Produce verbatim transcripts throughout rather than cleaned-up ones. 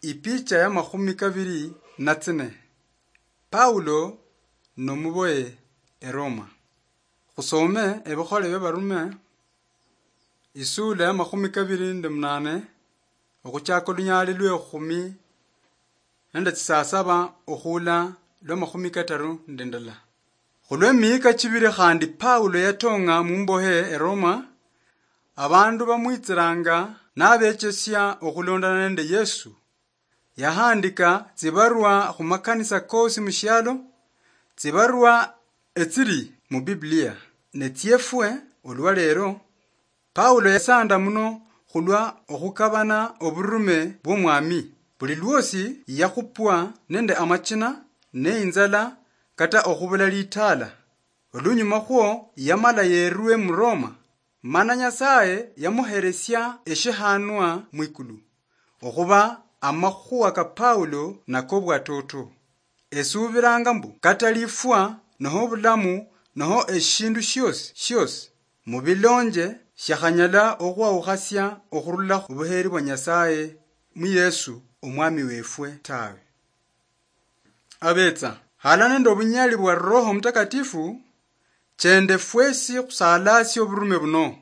Ipicha ya makhumi kabiri na tsine. Paulo nomuboye eRoma. Khusome ebikhole bya Barume, isula ya makhumi kabiri nende munane, okhuchaka olunyali lwe khumi nende tsisasaba okhula lwa makhumi kataru nende ndala. Khulwe mihika chibiri khandi Paulo yatong'a mumbohe eRoma, abandu bamwitsiranga nabechesia okhulondana nende Yesu. Yahandika tsibarwa khumakanisa kosi mushialo, tsibarwa etsiri mu Biblia. Ne tsiefwe olwa lero, Paulo yasanda muno khulwa okhukabana oburume bw'Omwami. Buli lwosi yakhupwa nende amachina, ne inzala, kata okhubula litala. Olunyuma khwo yamala yerwe mu Roma, mana Nyasaye yamuheresia eshihanwa mwikulu, okhuba amakhuwa ka Paulo nakobwatoto. Esuubiranga mbu kata lifwa, noho obulamu, noho eshindu shiosi shiosi mubilonje, shiakhanyala okhwawukhasia okhurula khubuheri bwa Nyasaye mu Yesu Omwami wefwe tawe. Abetsa, hala nende obunyali bwa Roho Mutakatifu, chende fwesi khusalasie oburume buno,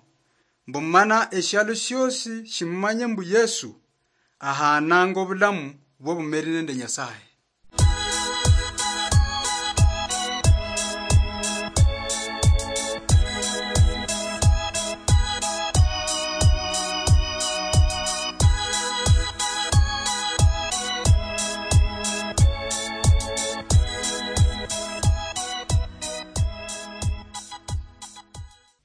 mbu mana eshialo shiosi shimumanye mbu Yesu ahananga obulamu bw'obumeri nende Nyasaye.